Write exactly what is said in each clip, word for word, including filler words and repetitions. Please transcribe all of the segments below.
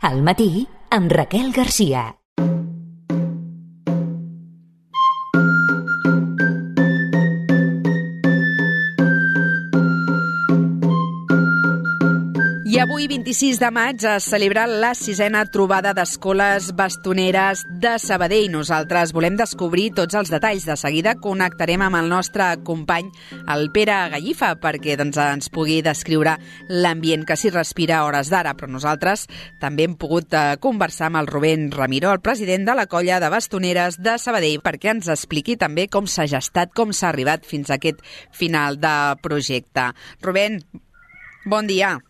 Al matí, amb Raquel Garcia. I avui, vint-i-sis de maig, es celebra la sisena trobada d'escoles bastoneres de Sabadell. Nosaltres volem descobrir tots els detalls. De seguida connectarem amb el nostre company, el Pere Gallifa, perquè doncs, ens pugui descriure l'ambient que s'hi respira a hores d'ara. Però nosaltres també hem pogut eh, conversar amb el Rubén Ramiro, el president de la colla de bastoneres de Sabadell, perquè ens expliqui també com s'ha gestat, com s'ha arribat fins a aquest final de projecte. Rubén, bon dia.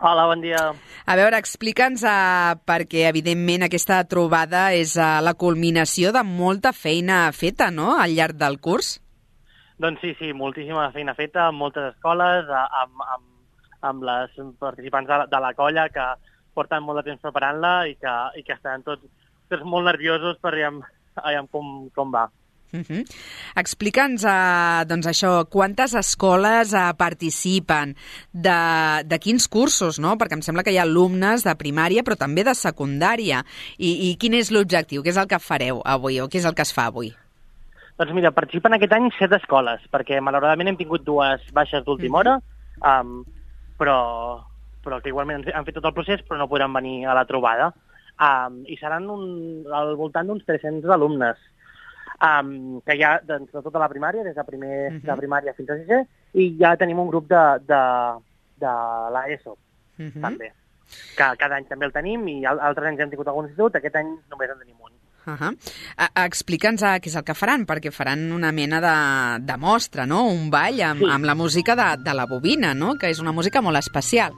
Hola, bon dia. A veure, explica'ns, uh, perquè evidentment aquesta trobada és uh, la culminació de molta feina feta, no?, al llarg del curs. Doncs sí, sí, moltíssima feina feta amb moltes escoles, amb, amb, amb les participants de la, de la colla que porten molt de temps preparant-la i que, i que estan tots, tots molt nerviosos per veure, veure com, com va. Uh-huh. Explica'ns, uh, doncs això, quantes escoles uh, participen, de, de quins cursos, no? Perquè em sembla que hi ha alumnes de primària però també de secundària. I, i quin és l'objectiu? Què és el que fareu avui o què és el que es fa avui? Doncs mira, participen aquest any set escoles, perquè malauradament hem tingut dues baixes d'última hora, um, però, però que igualment han fet tot el procés però no podran venir a la trobada. Um, I seran un, al voltant d'uns tres-cents alumnes. Um, que hi ha doncs, de tota la primària, des de, primer, uh -huh. de primària fins a sisè, i ja tenim un grup de, de, de l'ESO, uh -huh. també, que cada any també el tenim, i altres anys hem tingut algun institut, aquest any només en tenim un. Uh -huh. Explica'ns què és el que faran, perquè faran una mena de, de mostra, no?, un ball amb, sí. amb la música de, de la bobina, no?, que és una música molt especial.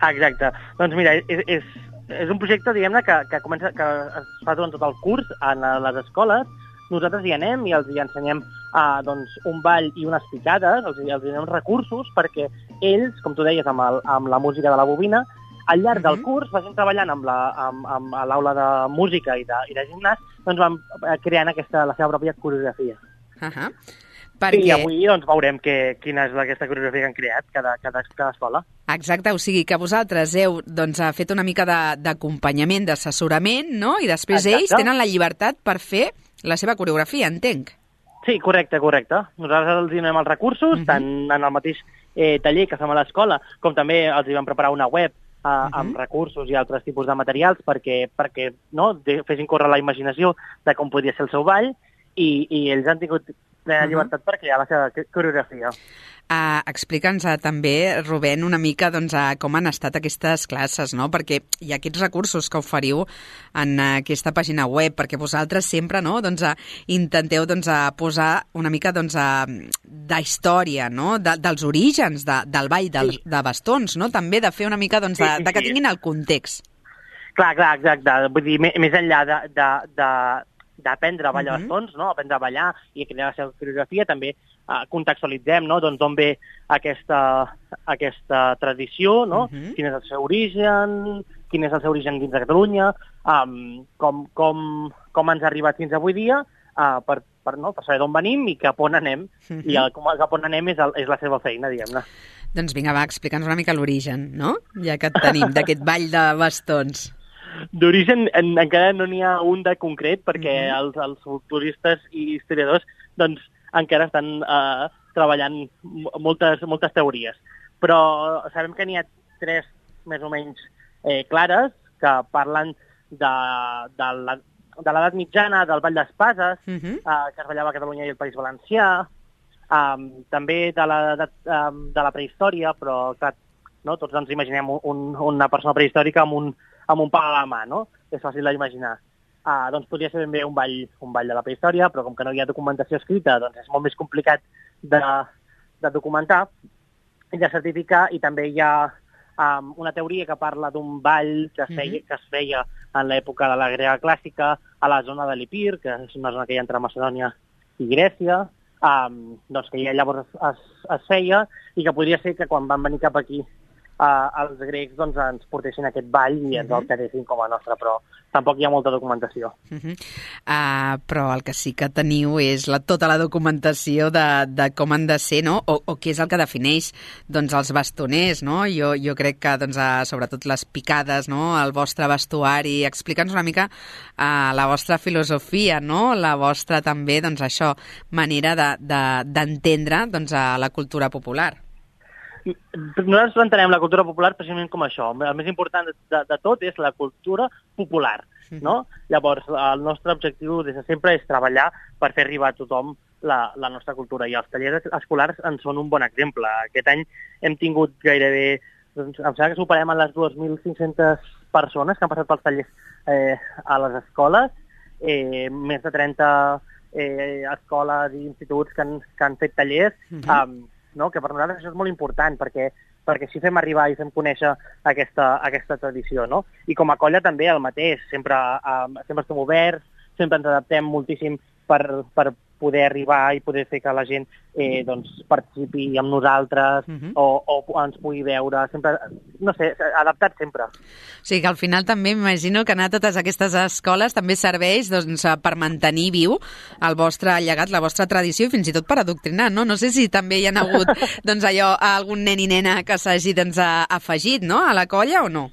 Exacte. Doncs mira, és, és, és un projecte, diguem-ne, que, que, comença, que es fa durant tot el curs en les escoles. Nosaltres hi anem i els hi ensenyem uh, doncs, un ball i unes picades, els, els hi donem recursos perquè ells, com tu deies, amb, el, amb la música de la bobina, al llarg del curs, vagin treballant amb la, amb, amb l'aula de música i de, i de gimnàs, doncs van creant aquesta, la seva pròpia coreografia. Uh -huh. Perquè... I avui doncs, veurem que, quina és aquesta coreografia que han creat cada, cada, cada escola. Exacte, o sigui que vosaltres heu doncs, fet una mica d'acompanyament, d'assessorament, no?, i després Exacte. ells tenen la llibertat per fer la seva coreografia, entenc. Sí, correcte, correcte. Nosaltres els donem els recursos, uh -huh. tant en el mateix eh, taller que fem a l'escola, com també els hi vam preparar una web eh, uh -huh. amb recursos i altres tipus de materials perquè, perquè no, de, fessin córrer la imaginació de com podia ser el seu ball, i, i ells han tingut plena uh -huh. llibertat per crear la seva coreografia. Uh, Explica'ns uh, també, Rubén, una mica doncs, uh, com han estat aquestes classes, no? Perquè hi ha aquests recursos que oferiu en uh, aquesta pàgina web, perquè vosaltres sempre no? doncs, uh, intenteu doncs, uh, posar una mica doncs, uh, d'història, no? de, dels orígens de, del ball del, sí. de bastons, no? També de fer una mica doncs, de, sí, sí, de que tinguin el context. Clar, clar, exacte. Vull dir, més enllà de... de, de d'aprendre a ballar uh -huh. bastons, no? Aprendre a ballar i crear la seva coreografia, també uh, contextualitzem no? doncs on ve aquesta, aquesta tradició, no? Uh -huh. Quin és el seu origen, quin és el seu origen dins de Catalunya, um, com, com, com ens ha arribat fins avui dia, uh, per, per, no? per saber d'on venim i cap on anem, uh -huh. i el, com, cap on anem és, el, és la seva feina, diguem-ne. Doncs vinga, va, explica'ns una mica l'origen, no? Ja que et tenim, d'aquest ball de bastons. D'origen en, encara no n'hi ha un de concret, perquè uh-huh. els, els folcloristes i historiadors doncs, encara estan uh, treballant moltes, moltes teories. Però sabem que n'hi ha tres més o menys eh, clares que parlen de, de la, de l'edat mitjana, del ball d'espases, uh-huh. uh, que es ballava a Catalunya i el País Valencià, um, també de la, de, um, de la prehistòria, però clar, no? Tots ens imaginem un, una persona prehistòrica amb un amb un pal a la mà, no? És fàcil d'imaginar. Uh, doncs podria ser ben bé un ball, un ball de la prehistòria, però com que no hi ha documentació escrita, doncs és molt més complicat de, de documentar i de certificar, i també hi ha um, una teoria que parla d'un ball que es feia, mm-hmm. que es feia en l'època de la grega clàssica a la zona de l'Epir, que és una zona que hi ha entre Macedònia i Grècia, um, doncs que ja llavors es, es, es feia, i que podria ser que quan van venir cap aquí uh, els grecs doncs, ens portessin aquest ball i ens el quedessin com a nostre, però tampoc hi ha molta documentació. Uh -huh. uh, però el que sí que teniu és la, tota la documentació de, de com han de ser, no? O, o què és el que defineix doncs, els bastoners, no? Jo, jo crec que, doncs, uh, sobretot les picades, no? El vostre vestuari. Explica'ns una mica uh, la vostra filosofia, no? La vostra també, doncs, això, manera d'entendre de, de, doncs, a la cultura popular. Nosaltres entenem la cultura popular precisament com això. El més important de, de tot és la cultura popular, no? Llavors, el nostre objectiu des de sempre és treballar per fer arribar a tothom la, la nostra cultura, i els tallers escolars en són un bon exemple. Aquest any hem tingut gairebé, doncs, em sembla que superem a les dos mil cinc-centes persones que han passat pels tallers eh, a les escoles, eh, més de trenta eh, escoles i instituts que han, que han fet tallers, uh-huh. um, no? Que per nosaltres això és molt important, perquè, perquè així fem arribar i fem conèixer aquesta, aquesta tradició, no? I com a colla també el mateix, sempre, um, sempre estem oberts, sempre ens adaptem moltíssim per, per poder arribar i poder fer que la gent eh, doncs, participi amb nosaltres, uh-huh. o, o ens pugui veure, sempre, no sé, adaptat sempre. O sigui que al final també m'imagino que anar a totes aquestes escoles també serveix doncs, per mantenir viu el vostre llegat, la vostra tradició i fins i tot per adoctrinar, no? No sé si també hi ha hagut doncs, allò, algun nen i nena que s'hagi doncs, afegit, no?, a la colla o no?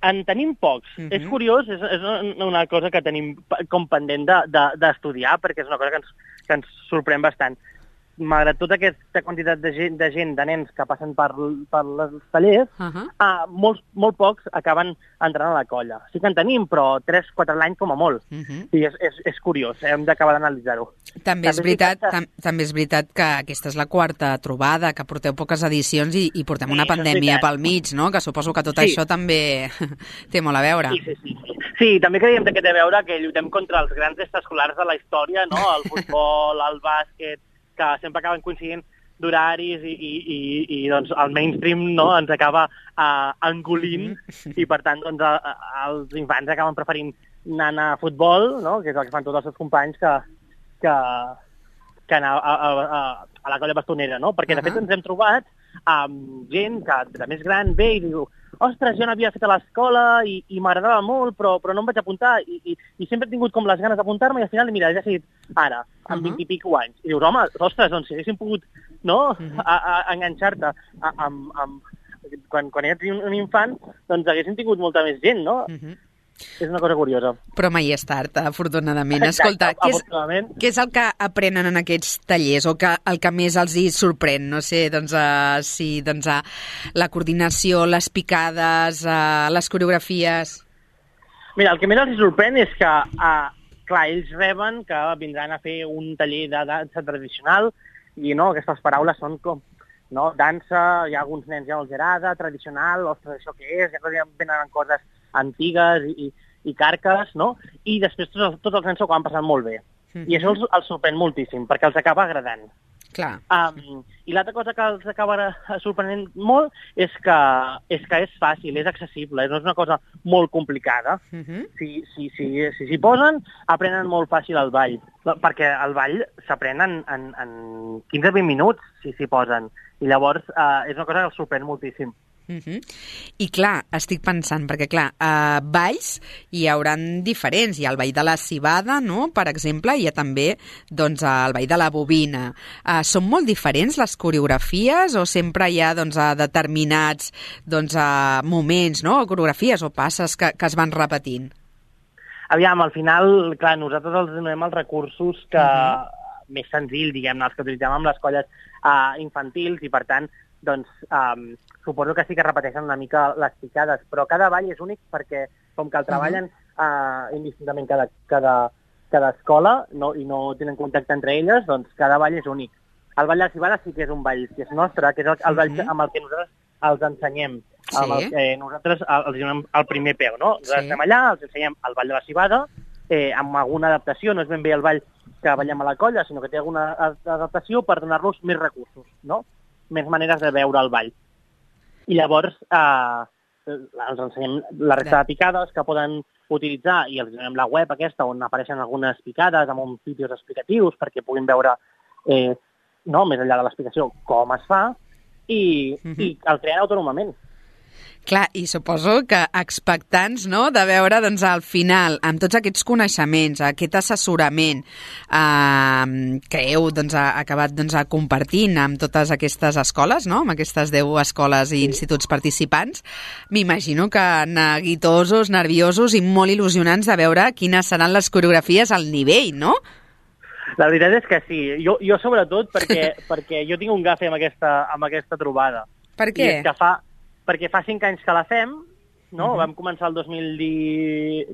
En tenim pocs. Uh-huh. És curiós, és, és una cosa que tenim com pendent d'estudiar, de, de, perquè és una cosa que ens, que ens sorprèn bastant. Malgrat tota aquesta quantitat de gent, de, gent, de nens que passen per, per els tallers, uh-huh. uh, molts, molt pocs acaben entrant a la colla. Sí que en tenim, però tres quatre l'any com a molt. Uh-huh. I és, és, és curiós, hem d'acabar d'analitzar-ho. També, també, és veritat, que... tam, també és veritat que aquesta és la quarta trobada, que porteu poques edicions i, i portem sí, una pandèmia pel mig, no? Que suposo que tot sí. això també té molt a veure. Sí, sí, sí. Sí, sí també creiem que té a veure que lluitem contra els grans extraescolars de la història, no? El futbol, el bàsquet, que sempre acaben coincidint d'horaris i, i, i, i doncs, el mainstream, no, ens acaba uh, engolint mm-hmm. i, per tant, doncs, a, a, els infants acaben preferint anar a futbol, no, que és el que fan tots els seus companys, que, que, que anar a, a, a, a la colla bastonera, no? Perquè, de fet, ens hem trobat amb gent que de més gran ve i diu ostres, jo n'havia fet a l'escola i, i m'agradava molt, però, però no em vaig apuntar i, i, i sempre he tingut com les ganes d'apuntar-me i al final, mira, ja he decidit ara, amb vint i pico anys. I dius, home, ostres, doncs si haguéssim pogut, no?, uh-huh. a, a, a enganxar-te a, amb, amb, quan, quan ets un, un infant, doncs haguéssim tingut molta més gent, no? Uh-huh. És una cosa curiosa. Però mai és tard, afortunadament. Escolta, Exacte, què, és, què és el que aprenen en aquests tallers o que, el que més els hi sorprèn? No sé, doncs, uh, si doncs, uh, la coordinació, les picades, uh, les coreografies... Mira, el que més els hi sorprèn és que, uh, clar, ells reben que vindran a fer un taller de dansa tradicional i, no, aquestes paraules són com... No, dansa, hi ha alguns nens ja els agrada, tradicional, ostres, això què és? Ja venen coses antigues i, i carques, no? I després tots els, tots els nens s'ho acaben passant molt bé. Mm-hmm. I això els, els sorprèn moltíssim, perquè els acaba agradant. Clar. Um, I l'altra cosa que els acaba sorprenent molt és que, és que és fàcil, és accessible, no és una cosa molt complicada. Mm-hmm. Si s'hi si, si, si, si posen, aprenen molt fàcil el ball, perquè el ball s'aprèn en, en, en quinze a vint minuts, si s'hi posen. I llavors uh, és una cosa que els sorprèn moltíssim. Uh-huh. I clar, estic pensant, perquè clar, uh, balls hi hauran diferents. Hi ha el ball de la civada, no?, per exemple, i hi ha també doncs, el ball de la bobina. Uh, són molt diferents les coreografies o sempre hi ha doncs, uh, determinats doncs, uh, moments, no?, o coreografies o passes que, que es van repetint? Aviam, al final, clar, nosaltres els donem els recursos que uh-huh. més senzills, diguem-ne, els que utilitzem amb les colles uh, infantils i, per tant, doncs um, suposo que sí que repeteixen una mica les picades, però cada ball és únic perquè com que el treballen uh, indistintament cada, cada, cada escola no, i no tenen contacte entre elles, doncs cada ball és únic. El ball de la civada sí que és un ball que és nostre, que és el, el ball amb el que nosaltres els ensenyem. Sí. Amb el que nosaltres els donem el primer peu, no? Nosaltres sí. estem allà, els ensenyem el ball de la civada, eh, amb alguna adaptació, no és ben bé el ball que ballem a la colla, sinó que té alguna adaptació per donar-los més recursos, no?, més maneres de veure el ball. I llavors eh, els ensenyem la resta de picades que poden utilitzar i els donem la web aquesta on apareixen algunes picades amb uns vídeos explicatius perquè puguin veure, eh, no, més enllà de l'explicació, com es fa. i, uh -huh. i el creen autònomament. Clar, i suposo que expectants, no?, de veure, doncs, al final, amb tots aquests coneixements, aquest assessorament eh, que heu, doncs, acabat, doncs, compartint amb totes aquestes escoles, no?, amb aquestes deu escoles i instituts participants, m'imagino que neguitosos, nerviosos i molt il·lusionants de veure quines seran les coreografies al nivell, no? La veritat és que sí. Jo, jo sobretot, perquè, perquè jo tinc un gafe amb aquesta, amb aquesta trobada. Per què? I és que fa... perquè fa cinc anys que la fem, no? Uh-huh. Vam començar el dos mil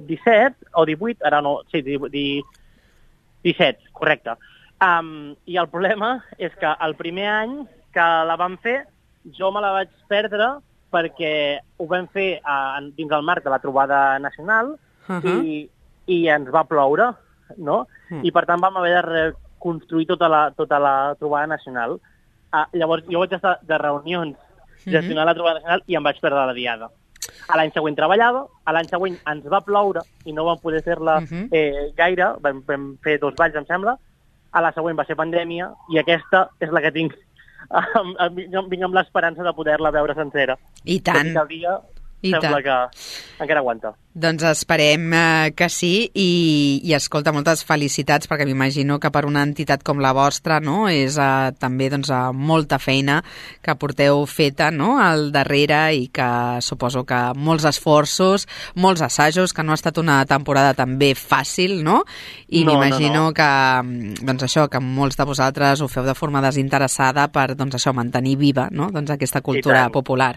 disset, o divuit, ara no, sí, disset, correcte. Um, I el problema és que el primer any que la vam fer, jo me la vaig perdre perquè ho vam fer a, dins el marc de la trobada nacional uh-huh. i, i ens va ploure, no? Uh-huh. I per tant vam haver de reconstruir tota la, tota la trobada nacional. Uh, llavors jo vaig estar de reunions gestionar la trobada nacional i em vaig perdre la diada. A l'any següent treballava, a l'any següent ens va ploure i no vam poder fer-la uh-huh. eh, gaire, vam, vam fer dos balls, em sembla, a la següent va ser pandèmia i aquesta és la que tinc, vinc amb l'esperança de poder-la veure sencera. I tant. Tot i que el dia I sembla tant. que encara aguanta. Doncs esperem eh, que sí i, i escolta, moltes felicitats perquè m'imagino que per una entitat com la vostra, no, és eh, també doncs, eh, molta feina que porteu feta, no, al darrere i que suposo que molts esforços, molts assajos, que no ha estat una temporada també fàcil, no? I no, m'imagino no, no. que doncs això, que molts de vosaltres ho feu de forma desinteressada per doncs això, mantenir viva, no, doncs aquesta cultura popular.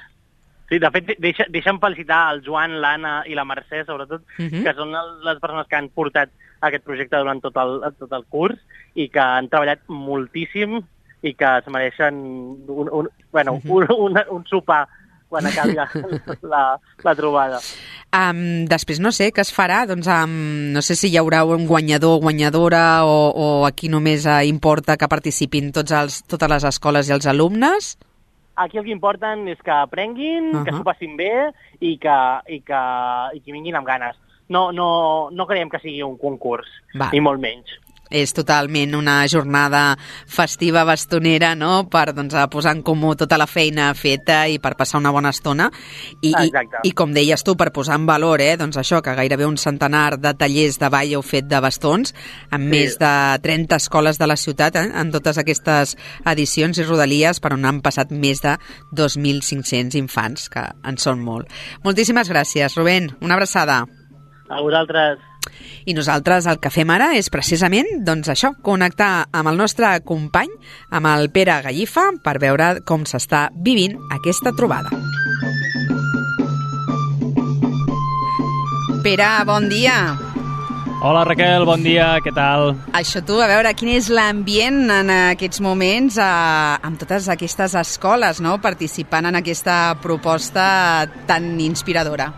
Sí, de fet, deixa, deixa'm felicitar el Joan, l'Anna i la Mercè, sobretot, uh-huh. que són les persones que han portat aquest projecte durant tot el, tot el curs i que han treballat moltíssim i que es mereixen un, un, bueno, uh-huh. un, un, un sopar quan acabi la, la, la trobada. Um, després no sé què es farà, doncs um, no sé si hi haurà un guanyador o guanyadora o, o aquí només uh, importa que participin tots els, totes les escoles i els alumnes. Aquí el que importen és que aprenguin, uh-huh. que s'ho passin bé i que, i, que, i que vinguin amb ganes. No, no, no creiem que sigui un concurs, Va. ni molt menys. És totalment una jornada festiva bastonera, no?, per doncs, posar en comú tota la feina feta i per passar una bona estona. I, i, i com deies tu, per posar en valor, eh, doncs això, que gairebé un centenar de tallers de ball heu fet de bastons, amb sí. més de trenta escoles de la ciutat, eh, en totes aquestes edicions i rodalies, per on han passat més de dos mil cinc-cents infants, que en són molt. Moltíssimes gràcies, Rubén. Una abraçada. A vosaltres. I nosaltres el que fem ara és precisament, doncs això, connectar amb el nostre company, amb el Pere Gallifa, per veure com s'està vivint aquesta trobada. Pere, bon dia. Hola Raquel, bon dia, què tal? Això tu, a veure, quin és l'ambient en aquests moments eh, amb totes aquestes escoles, no?, participant en aquesta proposta tan inspiradora.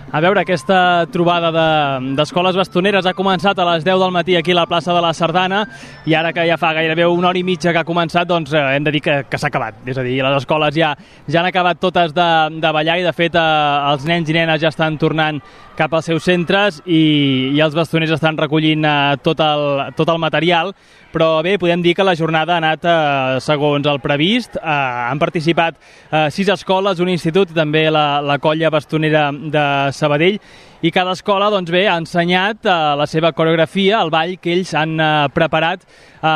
A veure, aquesta trobada de, d'escoles bastoneres ha començat a les deu del matí aquí a la plaça de la Sardana i ara que ja fa gairebé una hora i mitja que ha començat, doncs eh, hem de dir que, que s'ha acabat. És a dir, les escoles ja, ja han acabat totes de, de ballar i de fet eh, els nens i nenes ja estan tornant cap als seus centres i, i els bastoners estan recollint eh, tot, el, tot el material. Però bé, podem dir que la jornada ha anat eh, segons el previst. Eh, han participat eh, sis escoles, un institut i també la, la colla bastonera de Sabadell i cada escola doncs bé, ha ensenyat eh, la seva coreografia, el ball que ells han eh, preparat eh,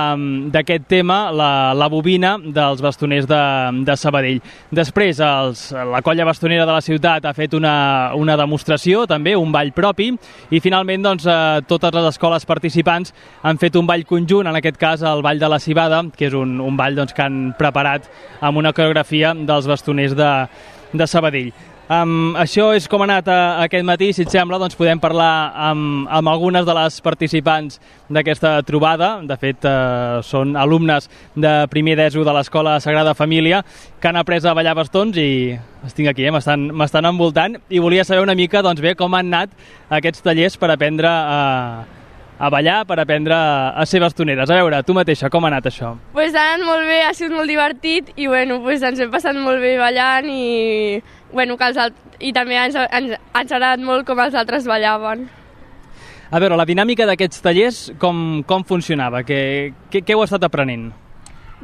d'aquest tema, la, la bobina dels bastoners de, de Sabadell. Després els, la colla bastonera de la ciutat ha fet una, una demostració, també un ball propi i finalment doncs, eh, totes les escoles participants han fet un ball conjunt, en aquest cas el ball de la cibada, que és un, un ball doncs, que han preparat amb una coreografia dels bastoners de, de Sabadell. Um, això és com ha anat uh, aquest matí. Si et sembla, doncs podem parlar amb, amb algunes de les participants d'aquesta trobada. De fet, uh, són alumnes de primer d'ESO de l'Escola Sagrada Família que han après a ballar bastons i estic aquí, eh? m'estan, m'estan envoltant i volia saber una mica doncs, bé, com han anat aquests tallers per aprendre a, a ballar, per aprendre a ser bastoneres. A veure, tu mateixa, com ha anat això? Pues ha anat molt bé, ha sigut molt divertit i bueno, pues ens hem passat molt bé ballant i, bueno, que els alt... i també ens, ens, ens ha agradat molt com els altres ballaven. A veure, la dinàmica d'aquests tallers com, com funcionava? Què, què, què heu estat aprenent?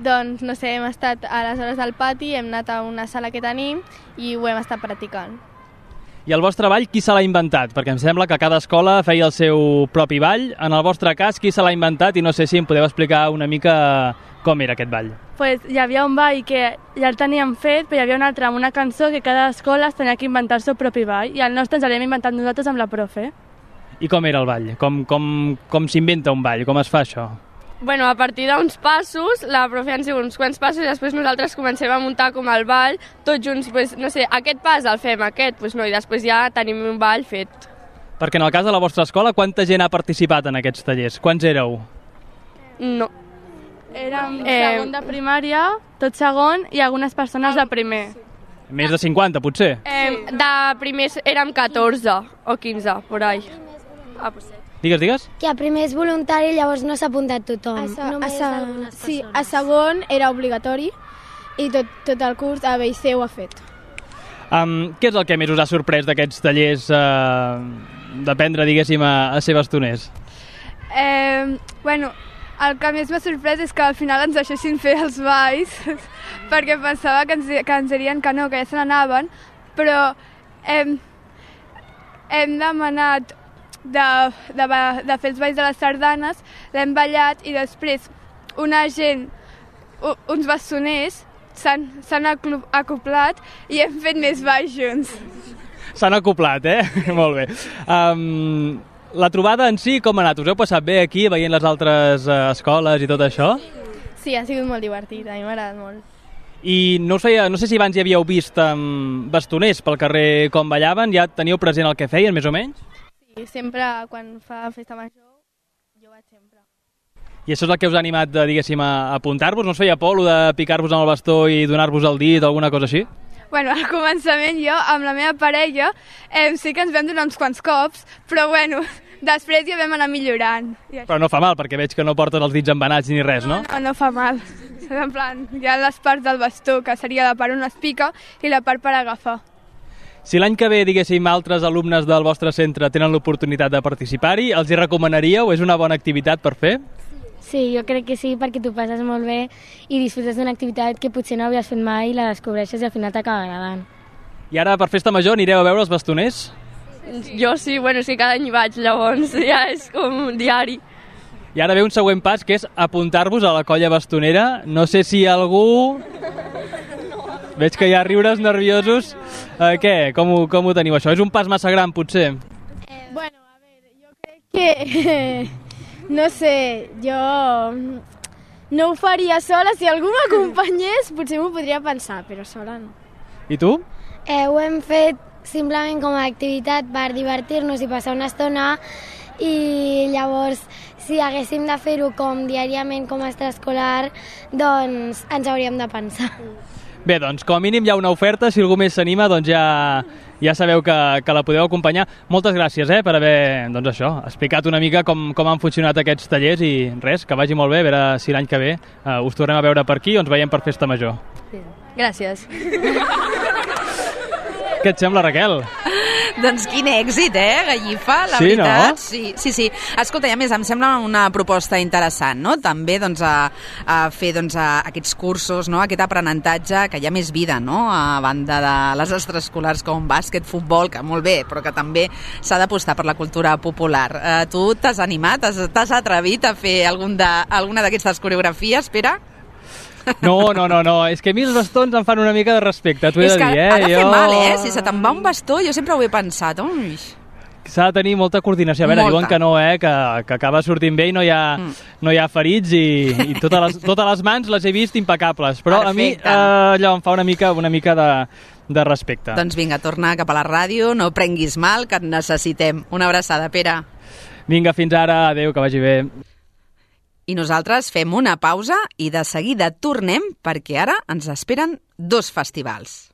doncs, no sé, hem estat a les hores del pati, hem anat a una sala que tenim i ho hem estat practicant. I el vostre ball, qui se l'ha inventat? Perquè em sembla que cada escola feia el seu propi ball. En el vostre cas, qui se l'ha inventat? I no sé si em podeu explicar una mica com era aquest ball. Pues hi havia un ball que ja el teníem fet, però hi havia un altre amb una cançó que cada escola es tenia que inventar el seu propi ball, i el nostre ens l'hem inventat nosaltres amb la profe. I com era el ball? Com, com, com s'inventa un ball? Com es fa això? Bueno, a partir d'uns passos, la profe ens diu uns quants passos i després nosaltres comencem a muntar com el ball, tots junts, pues, no sé, aquest pas el fem, aquest, pues no, i després ja tenim un ball fet. Perquè en el cas de la vostra escola, quanta gent ha participat en aquests tallers? Quants éreu? No. Érem eh... segon de primària, tot segon, i algunes persones de primer. Més de cinquanta, potser? Eh, de primers érem catorze o quinze, por ahí. Ah, pues... Digues, digues. Que a primer és voluntari, llavors no s'ha apuntat tothom. A sa, Només a sa, algunes sí, persones. a segon era obligatori i tot, tot el curs a B i C ho ha fet. Um, què és el que més us ha sorprès d'aquests tallers uh, d'aprendre, diguéssim, a, a ser bastoners? Eh, bueno, el que més m'ha sorprès és que al final ens deixessin fer els balls perquè pensava que ens, que ens dirien que no, que ja se n'anaven, però hem, hem demanat De, de, de fer els balls de les sardanes, l'hem ballat i després una gent, uns bastoners, s'han acoplat i hem fet més balls junts. S'han acoplat, eh? Molt bé. Um, la trobada en si, com ha anat? Us heu passat bé aquí, veient les altres uh, escoles i tot això? Sí, ha sigut molt divertit, a mi m'ha agradat molt. I no, us feia, no sé si abans hi havíeu vist um, bastoners pel carrer com ballaven, ja teniu present el que feien, més o menys? Sí, sempre quan fa festa major, jo vaig sempre. I això és el que us ha animat, diguéssim, a apuntar-vos? No us feia por, de picar-vos amb el bastó i donar-vos el dit o alguna cosa així? Bueno, al començament jo, amb la meva parella, eh, sí que ens vam donar uns quants cops, però bueno, després ja vam anar millorant. Però no fa mal, perquè veig que no porten els dits embenats ni res, no? No, no, no fa mal. En plan, hi ha les parts del bastó, que seria la part on es pica i la part per agafar. Si l'any que ve, diguéssim, altres alumnes del vostre centre tenen l'oportunitat de participar-hi, els hi recomanaríeu? És una bona activitat per fer? Sí, jo crec que sí, perquè tu passes molt bé i disfrutes d'una activitat que potser no havies fet mai i la descobreixes i al final t'acaba agradant. I ara, per festa major, anireu a veure els bastoners? Jo sí, bueno, sí, cada any hi vaig, llavors ja és com un diari. I ara ve un següent pas, que és apuntar-vos a la colla bastonera. No sé si algú... Veig que hi ha riures nerviosos. Eh, què? Com ho, com ho teniu, això? És un pas massa gran, potser? Eh, bueno, a veure, jo crec que... No sé, jo... No ho faria sola. Si algú m'acompanyés, potser m'ho podria pensar, però sola no. I tu? Eh, ho hem fet simplement com a activitat per divertir-nos i passar una estona, i llavors, si haguéssim de fer-ho com diàriament, com a extraescolar, doncs ens hauríem de pensar. Bé, doncs, com a mínim hi ha una oferta. Si algú més s'anima, doncs ja, ja sabeu que, que la podeu acompanyar. Moltes gràcies eh, per haver doncs això, explicat una mica com, com han funcionat aquests tallers i res, que vagi molt bé, a veure si l'any que ve uh, us tornem a veure per aquí o ens veiem per Festa Major. Gràcies. Què et sembla, Raquel? Doncs quin èxit, eh, Gallifa, la sí, veritat. No? Sí, sí, sí. Escolta, i a més, em sembla una proposta interessant, no? També, doncs, a, a fer, doncs, a, aquests cursos, no? Aquest aprenentatge, que hi ha més vida, no? A banda de les extraescolars com bàsquet, futbol, que molt bé, però que també s'ha d'apostar per la cultura popular. Eh, tu t'has animat, t'has atrevit a fer algun de, alguna d'aquestes coreografies, Pere? No, no, no, no, és que a mi els bastons em fan una mica de respecte, t'ho he de dir, eh? És que ha de fer jo... mal, eh? Si se te'n va un bastó, jo sempre ho he pensat. Ui. S'ha de tenir molta coordinació. A veure, molta. Diuen que no, eh? Que, que acaba sortint bé i no hi ha, mm. no hi ha ferits i, i totes, les, totes les mans les he vist impecables. Però Perfecte. a mi eh, allò em fa una mica, una mica de, de respecte. Doncs vinga, torna cap a la ràdio, no prenguis mal, que et necessitem. Una abraçada, Pere. Vinga, fins ara. Adéu, que vagi bé. I nosaltres fem una pausa i de seguida tornem perquè ara ens esperen dos festivals.